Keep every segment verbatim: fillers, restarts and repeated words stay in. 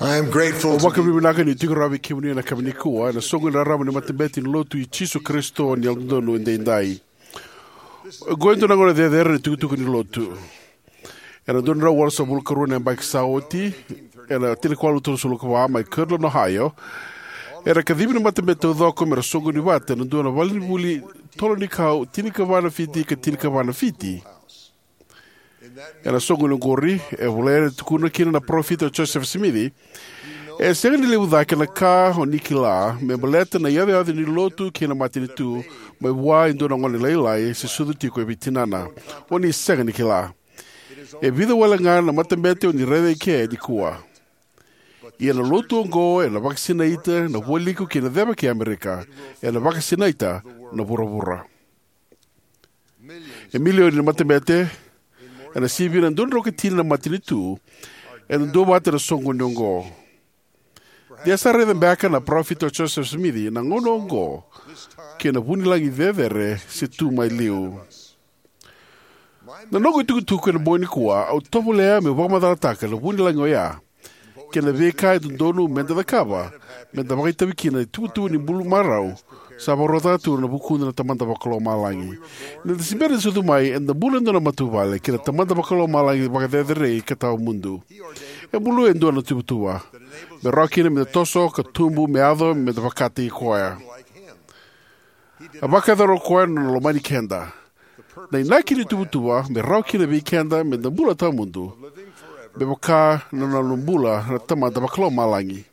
I am grateful Au to be vakavinavinaka niu tiko rawa vei kemuni ena yakavi nikua ena soqo ni rarama ni matabete ni Lotu i Jisu Karisito ni Yalododonu Edaidai. Oqo e dua na gauna cecere ni tukutuku ni Lotu. Ena dua na drau walusagavulu ka rua na yabaki sa oti, ena tinikawalu tolusagavulu ka va, mai Kirtland, Ohio, era kacivi na matabete taucoko mera soqoni vata ena dua na valenivuli tolo ni kau, tinikava na fiti ka tinikava na fiti. Ena soqoni oqori, e volai yani, tukuna kina na parofita o Joseph Smith, e sega ni levu cake na ka o ni kila me baleta na iyacoyaco ni Lotu kei na matanitu mai vua e dua na gone lailai se sucu tiko vei tinana. O ni sega ni kila. E vica wale ga na matabete o ni raica eke nikua. Ia na Lotu oqo ena vakasinaita na vualiku kei na ceva kei Amerika. Ena vakasinaita na vuravura. E milioni na matabete, ena sivia na dua na drau ka tini na matanitu, ena duavata ena soqoni oqo. De a sa raica beka na parofita o Joseph Smith na gauna oqo, kei na vunilagi cecere se tu mai liu. Na noqu itukutuku ena bogi nikua, au tovolea meu vakamacalataka na vunilagi oya kei na veika e dodonu meda cakava meda vakaitavi kina na ituvatuva ni bula marau sa vakarautaka tu na vukuda na Tamada Vakalomalagi. Ni da se bera ni sucu mai, eda bula e dua na matavuvale kei na Tamada Vakalomalagi vakacerecerei ka tawamudu. E buluya e dua na tuvatuva me rawa kina meda toso ka tubu me yaco meda vakataki koya. A vakayacora o koya na nona lomani keda. Na inaki ni tuvatuva me rawa kina vei keda meda bula tawamudu, me vaka na nona bula na Tamada Vakalomalagi.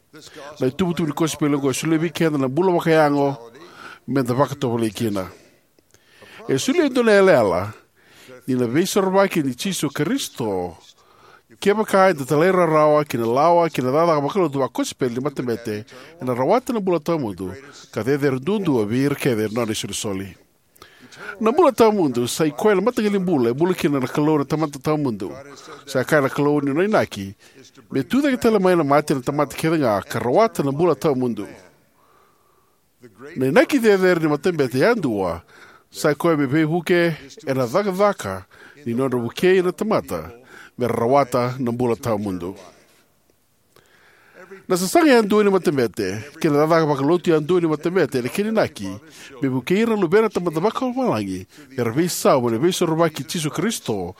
Na ituvatuva ni kosipeli oqo e solia vei keda na bula vakayago meda vakatovolei kina. E solia e dua na yalayala ni na Veisorovaki i Jisu Karisito. Kevaka eda talairawarawa ki na lawa kei na cakacaka vakalotu vakosipeli ni matabete, ena rawata na bula tawamudu ka cecere duadua vei ira kece na nona isolisoli. Na bula tawamudu sa i koya na mataqali bula e bula kina na Kalou na Tamada Tawamudu. Sa kaya na Kalou ni nona inaki me tucake tale mai na mate na tamata kece ga ka rawata na bula tawamudu. Na inaki cecere ni matabete yadua sa i koya me veivuke ena cakacaka ni nodra vukei na tamata mera rawata na bula tawamudu. Na sasaga yadua ni matabete kei na cakacaka vakalotu yadua ni matabete ena kena inaki me vukei ira na luvena na Tamada Vakalomalagi mera veisau mai na Veisorovaki i Jisu Karisito,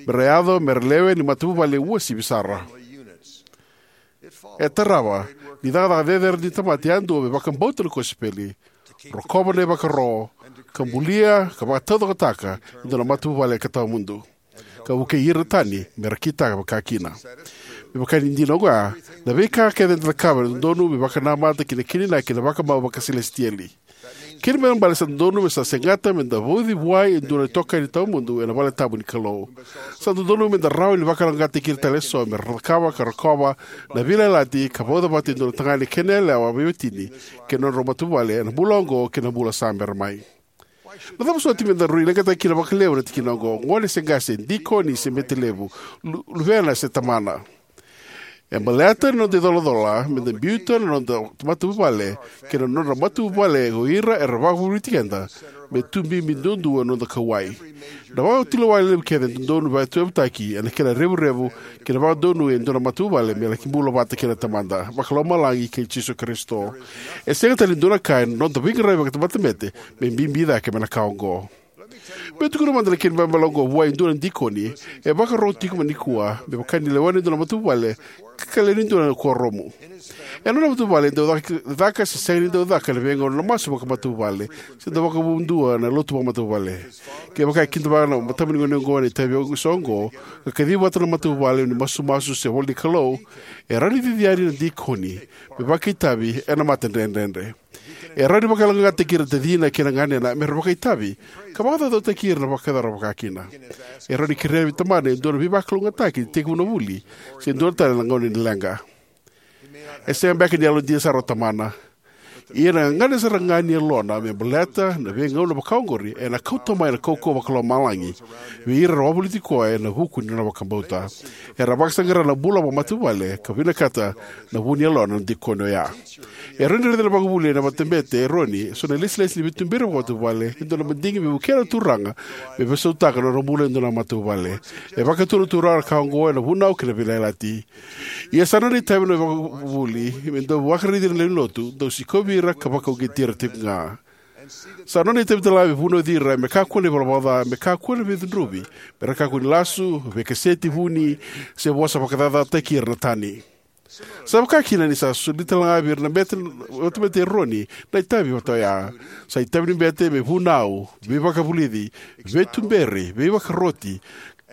mera yaco mera lewe ni matavuvale uasivi sara. E tarava ni cakacaka cecere ni tamata yadua me vakabauta na kosipeli, rokova na ivakaro, ka bulia ka vakataucokotaka e dua na matavuvale ka tawamudu, ka vukei ira na tani mera kitaka vakakina. Me vaka ni dina oya, na veika kece eda cakava e dodonu me vakanamata ki na kena inaki na vakamau vakaselesitieli. Kena ibalebale sa dodonu me sa segata meda vauci vua e dua na itokani tawamudu ena valetabu ni Kalou. Sa dodonu meda rawa ni vakalougatataki ira tale eso mera cakava ka rokova na veiyalayalati ka vauca vata e dua na tagane kei na yalewa veiwatini kei na nodrau matavuvale ena bula oqo kei na bula sa bera mai. Na cava soti meda rui leqataka kina vakalevu na tikina oqo, gone se qase, dikoni se bete levu, lu- luvena se tamana? E baleta na noda icolacola meda biuta na noda matavuvale kei na nodra matavuvale o ira era vakavuravura keda me tu bibi duadua na noda kauwai. Na vakatulewa levu kece e dodonu me vakatuyavutaki ena kena revurevu kei na vakadonui e dua na matavuvale me laki bula vata kei na Tamada Vakalomalagi kei Jisu Karisito. E sega tale ni dua na ka ena noda veiqaravi vakamatabete me bibi cake mai na ka oqo. Meu tukuna mada na kena ibalebale oqo vua e dua na dikoni e vakarorogo tiko mai nikua me vaka ni lewena e dua na matavuvale ka lewe ni dua na kuoramu. Ena nona matavuvale e dau caka, caka se sega ni dau caka ena veigauna na masu vakamatavuvale se dau vakavudua na lotu vakamatavuvale. Kevaka e kidavaka na matabunigone oqo na itavi eso oqo ka kaciva vata na matavuvale ni masumasu se ivolanikalou, e rawa ni cici yani na dikoni me vakaitavi ena matadredredre. E rawa ni vakalougatataki ira na tacina kei na ganena mera vakaitavi ka vakacaucautaki ira na vakayacora vakakina. E rawa ni kerea vei tamana e dua na veivakalougatataki ni tekivu na vuli se dua tale na gauna ni leqa. E sega beka ni yalodina sara o tamana. Ia na gagadre sara ga ni yalona me baleta na veigauna vakaoqori ena kauta mai na kaukauwa vakalomalagi vei ira era wavoliti koya ena vuku ni nona vakabauta. Era vakasaqara na bula vakamatavuvale ka vinakata na vu ni yalona na dikoni oya. E rawa ni raica na vakavuvuli ena matabete e Eroni eso na ilesilesi ni veituberi vakamatavuvale, e dua na madigi me vukea na Turaga me veisautaka na nodra bula e dua na matavuvale. E vakatura na Turaga na ka oqo ena Vunau kei na Veiyalayalati. Ia sa nona itavi na vakavuvuli me dau vakaraici ira na lewe ni lotu, dau sikovi ira ka vakauqeti ira tiko ga. Sa nona itavi talega me vunauci ira me kakua na ivalavala ca, me kakua na veicudruvi, me ra kakua ni lasu, veikaseti vuni, se vosa vakacacataki ira na tani. Sa vaka kina ni sa soli talega vei ira na bete, matabete e Eroni na itavi vata oya. Sa itavi ni bete me vunau, veivakavulici, veituberi, veivakaroti,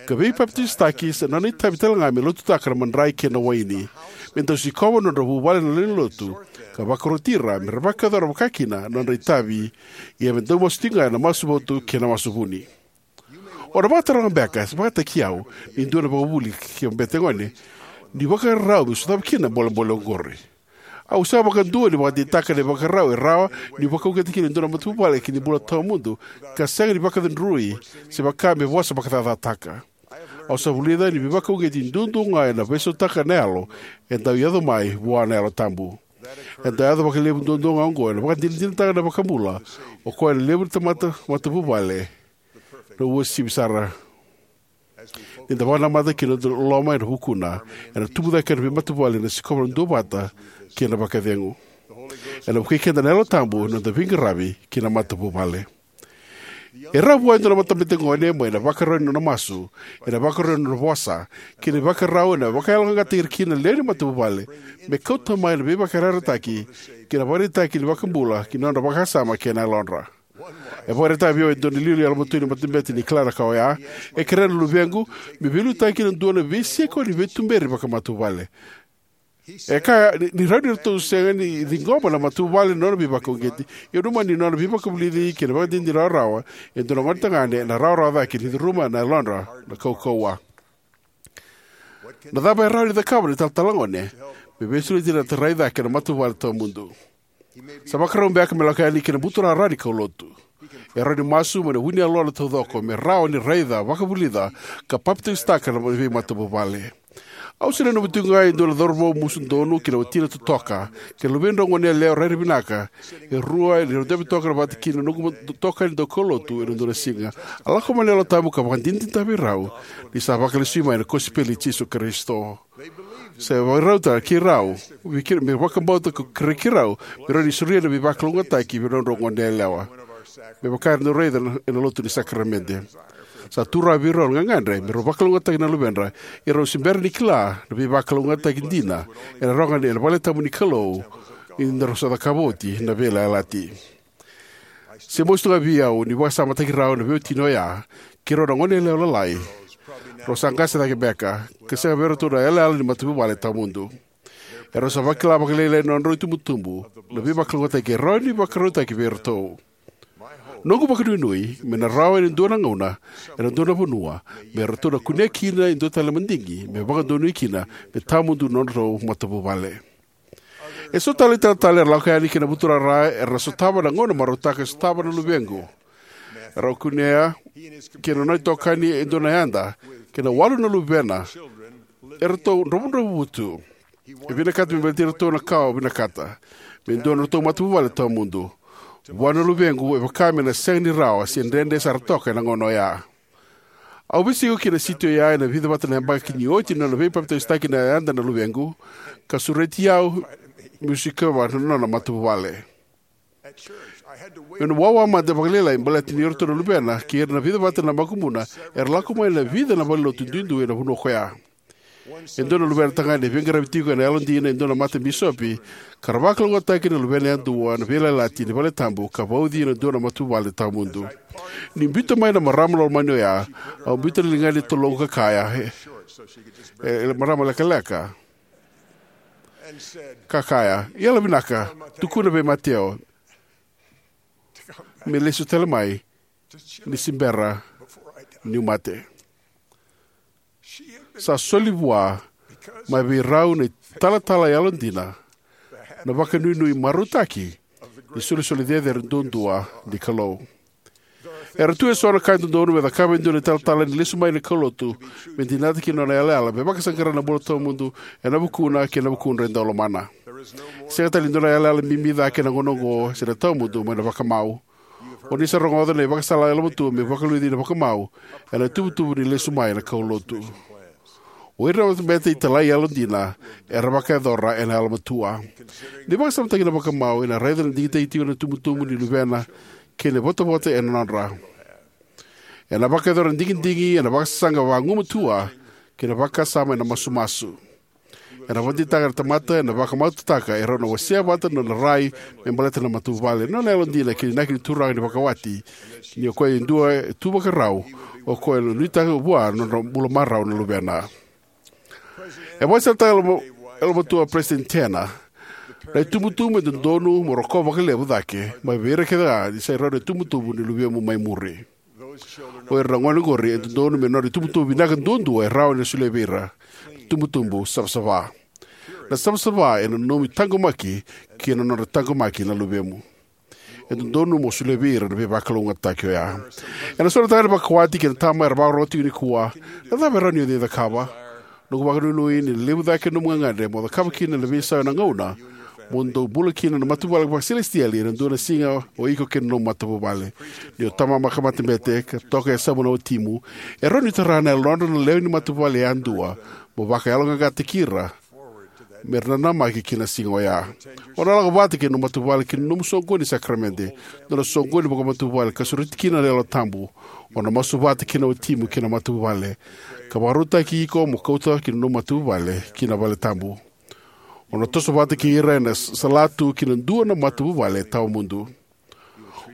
ka veipapitaisotaki. Sa nona itavi talega me lotutaka na madrai kei na waini, me dau sikova na nodra vuvale na lewe ni lotu, ka vakaroti ira me ra vakayacora vaka kina na nodra itavi. Ia me dau masu tiko ga ena masu votu kei na masu vuni. O na vakataroga beka, se vakataki au, ni dua na vakavuvuli kei na bete gone, ni vakarau me sotava kina na bolebole oqori. Au sega vakadua ni vakadeitaka na ivakarau e rawa ni vakauqeta kina e dua na matavuvale ki na bula tawamudu, ka sega ni vakacudrui se vaka me vosa vakacacataka. Au sa vulica ni veivakauqeti duadua ga ena veisautaka na yalo e dau yaco mai vua na Yalo Tabu. E dau yaco vakalevu duadua ga oqo ena vakadinadinataka na iVakabula, o koya na levu ni tamata matavuvale, na uasivi sara. Ni da vakanamata ki na noda loloma ena vukuna, ena tubu cake na veimatavuvale, ena sikova na duavata kei na vakacegu. Ena vukei keda na Yalo Tabu ena noda veiqaravi ki na matavuvale. E rawa vua e dua na matabete gone, mai na ivakarau ni nona masu, ena ivakarau ni nona vosa, kei na ivakarau ena vakayaloqaqataki ira kina na lewe ni matavuvale, me kauta mai na veivakayarayarataki kei na ivakaraitaki ni iVakabula ki na nodra vakasama kei na yalodra. E vakaraitaka vei au e dua na iliuliu yalomatua ni matabete ni kila na ka oya. E kerea na luvequ me veiliutaki ena dua na veisiko ni veituberi vakamatavuvale. E kaya ni, ni rawa ni ratou sega ni ciqoma na matavuvale na nona veivakauqeti, ia nanuma ni nona veivakavulici kei na ivakadinadina rawarawa e dua na gonetagane ena rawarawa cake ni curuma na yalodra na kaukauwa. Na cava e rawa ni cakava na italatala gone me veisureti ira na tarai cake na matavuvale tawamudu? Sa vakarau beka me lako yani ki na buturara ni kaulotu. E rawa ni masu mai na vu ni yalona taucoko me rawa ni raica, vakavulica, ka papitaisotaka na veimatavuvale. Au se nanuma tiko ga e dua na cauravou musu donu kei na watina totoka, kei na luvedrau goneyalewa rairai vinaka, e rua ni rau dabe toka vata kei na noqu itokani daukaulotu ena dua na siga. A lako mai na Yalo Tabu ka vakadinadinataka vei rau ni sa vakalesui mai na kosipeli i Jisu Karisito. Sa vakarauta keirau, vei kei, me vakabauta ka kerei keirau me rawa ni solia na veivakalougatataki vei nodrau goneyalewa, me vaka era dau raica ena, ena lotu ni sakaramede. Sa tu rawa vei rau na gagadre me rau vakalougatataki na luvedra, ia rau se bera ni kila na veivakalougatataki dina ena rawa ga ena valetabu ni Kalou ni da rau sa cakava oti na veiyalayalati. Se mosi tu ga vei au ni vakasamataki rau na veiwatini oya, keirau na goneyalewa lalai, rau sa qase cake beka, ka sega vei iratou na yalayala ni matavuvale tawamudu. Erau sa vakila vakalailai na nodrau itubutubu na veivakalougatataki e rawa ni vakarautaki vei iratou. Noqu vakanuinui me na rawa ena dua na gauna, ena dua na vanua, me ratou na kunea kina e dua tale na madigi me vakadonui kina me tawamudu na nodratou matavuvale. Eso tale italatala era lako yani ki na buturara era na sotava na gauna marautaka e sotava na luvequ. Erau kunea kei na nona itokani e dua na yada, kei na walu na luvena, eratou dravudravua tu. E vinakata me baleti iratou na ka au vinakata, me dua na nodratou matavuvale tawamudu. Vua na luvequ e vaka me na sega ni rawa se dredre sara toka ena gauna oya. Au veisiko ki na siti oya ena vica vata na yabaki ni oti na nona veipapitaisotaki na yada na luvequ, ka sureti au meu sikova na nona matavuvale. Meu na wawa mada vakalailai baleta ni o iratou na luvena kei ira na vica vata na makubuna era lako mai na vica na valenilotu duidui ena vanua koya. E dua na luvena tagane e veiqaravi tiko ena yalodina e dua na matabisopi, ka ra vakalougatataki na luvena yadua na veiyalayalati ni valetabu ka vauci ena dua na matavuvale tawamudu. Ni biuta mai na marama lomani oya, au biuta na ligana e toloqu ka kaya, e, e marama lekaleka, ka kaya, "Yalovinaka, tukuna vei Mateo me lesu tale mai ni se bera niu mate." Sa soli vua mai vei rau na italatala yalodina na vakanuinui, na vakanuinui marautaki ni solisoli cecere duadua ni Kalou. Era tu eso na ka e dodonu me cakava e dua na italatala ni lesu mai na kaulotu, me dinata kina nona yalayala me vakasaqara na bula tawamudu ena vukuna kei na vukudra e dau lomana. Sega tale ni dua na yalayala bibi cake ena gauna oqo se na tawamudu mai na vakamau. O ni sa rogoca na ivakasala yalomatua me vakaluci na vakamau ena itubutubu ni lesu mai na kaulotu. O ira na matabete italai yalodina era vakayacora ena yalomatua. Ni vakasamataki na vakamau, ena raica na digitaki tiko na itubutubu ni luvena kei na ivotavota ena nodra. Ena vakayacora na digidigi ena vakasasaga vagumatua kei na vakasama ena masumasu. Ena vakadeitaka na tamata ena vakamautaka e rau na wasea vata na nona rai me baleta na matavuvale, nona yalodina kei na inaki ni Turaga ni vakawati, ni o koya e dua e tu vakarau, o koya e nuitaka vua na nodra bula marau na luvena. E vakasalataka yalomatua o Peresitedi Tanner: Na itubutubu e dodonu mo rokova vakalevu cake mai vei ira kece ga ni sai rau na itubutubu ni luvemu mai muri. O ira na gone oqori e dodonu me nodra itubutubu vinaka duadua e rawa ni solia vei ira, na itubutubu savasava. Na savasava ena nomu itaqomaki kei na nodra taqomaki na luvemu. E dodonu mo solia vei ira na veivakalougatataki oya. Ena so na tagane vakawati kei na tama era vakarorogo tiko nikua, na cava e rawa ni o cakava? Noqu vakanuinui ni na levu cake na nomu gagadre mo cakava kina na veisau ena gauna mo dou bula kina na matavuvale vakasilesitieli ena dua na siga, o iko kei na nomu matavuvale. Ni o tama vaka matabete ka toka e yasamu na watimu, e rawa ni tara na yalodra na lewe ni matavuvale yadua mo vakayaloqaqataki ira me ra nanamaki ki na siga oya. O na lako vata kei na nomu matavuvale ki na nomu soqoni ni sakaramede, nona soqoni vakamatavuvale ka sureti kina na Yalo Tabu. O na masu vata kei na watimu kei na matavuvale, ka vakarautaki iko mo kauta kina nomu matavuvale ki na vale tabu. O na toso vata kei ira ena salatu ki na dua na matavuvale tawamudu.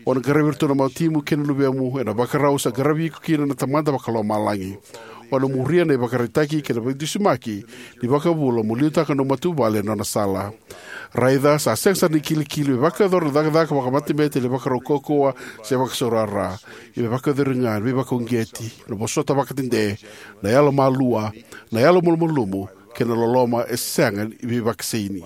O na qaravi iratou na watimu kei na luvemu ena ivakarau sa qaravi iko kina na Tamada Vakalomalagi. O na muria na ivakaraitaki kei na veidusimaki ni iVakabula mo liutaka na nomu matavuvale ena nona sala. Raica, sa sega sara ni kilikili me vakayacora na cakacaka vakamatabete ena ivakarau kaukauwa se vakasaurara. Ia me vakayacori ga na veivakauqeti, na vosota vakadede, na yalomalua, na yalomalumalumu, kei na loloma e sega ni veivakasaini.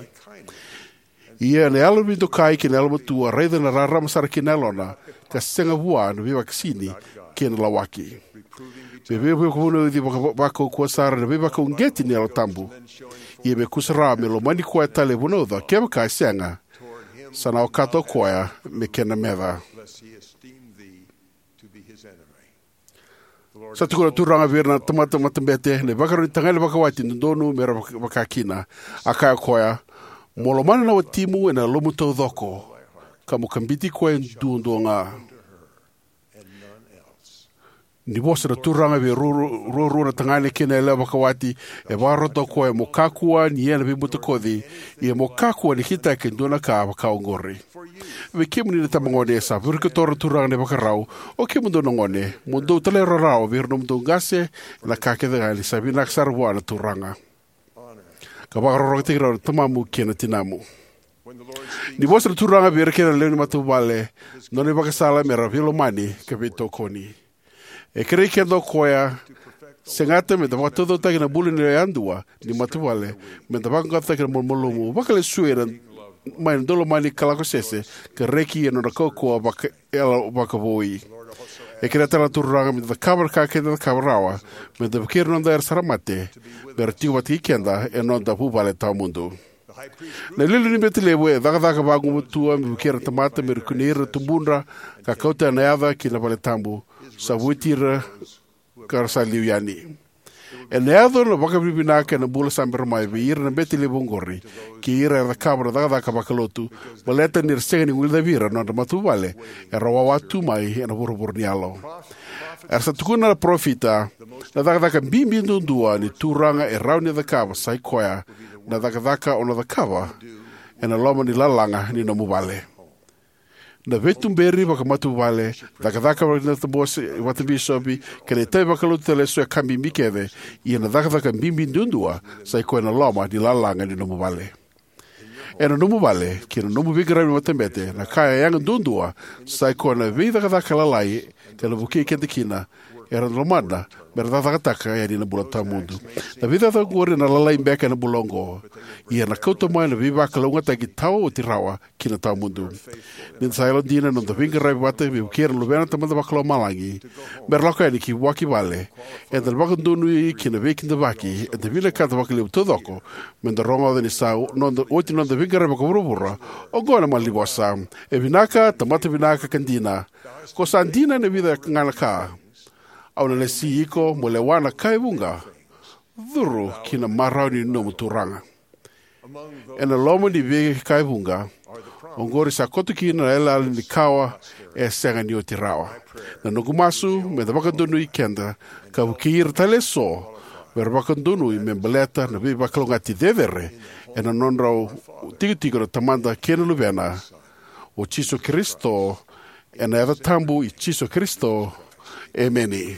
Ia na yalo veidokai kei na yalomatua, raica na rarama sara kina na yalona, ka sega vua na veivakasaini kei na lawaki. Me veivakavunauci vaka- vakaukauwa sara na veivakauqeti ni Yalo Tabu. Ia me kusarawa me lomani koya tale e vunauca, kevaka e sega, sa na okata o koya me kena meca. Sa tukuna na Turaga vei ira na tamata matabete na ivakarau ni tagane vakawati e dodonu me ra vaka- vaka kina. A kaya o koya: Mo lomana na watimu ena yalomu taucoko, ka mo kabiti koya duadua ga. Ni vosa na Turaga vei rua- ruarua na tagane kei na yalewa vakawati, e vakarota o koya mo kakua ni ia na veibutakoci, ia mo kakua ni kitaka e dua na ka vaka oqori. Vei kemuni na itabagone, sa virikotora na Turaga na ivakarau. O kemudou na gone, mo dou talairawarawa vei ira na nomudou qase ena ka kece ga, ni sa vinaka sara vua na Turaga. Ka vakarokorokotaki rau na tamamu kei na tinamu. Ni vosa na Turaga vei ira kece na lewe ni matavuvale, nona ivakasala me ra veilomani ka veitokoni. E kerei keda o koya, segata me da vakataucokotaka na bula ni yadua ni matavuvale, me da vaqaqacotaka na malumalumu, vakalesui ira mai na daulomani ka lako sese, ka reki ena nodra kaukauwa vaka- yalo vakavoui. E kerea tale na Turaga me da cakava na ka keda cakava rawa, me da vukei ira na noda era sa mate, me ra tiko vata kei keda ena noda vuvale tawamudu. Na iliuliu ni bete levu e cakacaka vagumatua me vukei ira na tamata me ra kunei ira na tubudra ka kauta na yaca ki na vale tabu, sa vueti ira ka ra sa liu yani. Ena yaco na vakavinavinaka ena bula sa bera mai vei ira na bete levu oqori kei ira era cakava na cakacaka vakalotu, baleta ni ra sega ni guilecavi ira na nodra matavuvale era wawa tu mai ena vuravura ni yalo. Era sa tukuna na parofita: Na cakacaka bibi duadua ni Turaga e rawa ni cakava sa i koya na cakacaka o na cakava ena loma ni lalaga ni nomu vale. Na veituberi vakamatavuvale, cakacaka vakatabose vakabisopi, kei na itavi vakalotu tale eso e ka bibi kece, ia na cakacaka bibi duadua sa i koya na loma ni lalaga ni nomu vale. Ena nomu vale kei na nomu veiqaravi ni matabete, na ka e yaga duadua sa i koya na veicakacaka lalai ka na vukei keda kina era lomana me ra cakacakataka yani na bula tawamudu. Na veicakacaka oqori ena lalai beka ena bula oqo, ia ena kauta mai na veivakalougatataki tawa oti rawa ki na tawamudu. Ni da sa yalodina ena noda veiqaravi vata me vukei ira na luvena na Tamada Vakalomalagi me ra lako yani ki vua ki vale, eda na vakadonui ki na veikidavaki eda vinakata vakalevu taucoko me da rogoca ni sa noda, oti na noda veiqaravi vakavuravura. Oqo na malanivosa: E vinaka, tamata vinaka ka dina. Ko sa dina ena vica ga na ka. Au na lesi iko mo lewa na ka e vuqa. Curu ki na marau ni nomu Turaga. Ena loma ni veika e vuqa oqori sa koto kina na yalayala ni kawa e sega ni oti rawa. Na noqu masu me da vakadonui keda ka vukei ira tale eso me ra vakadonui me baleta na veivakalougatataki cecere ena nodrau tikotiko na Tamada kei na Luvena, o Jisu Karisito. Ena yaca tabu i Jisu Karisito, emeni.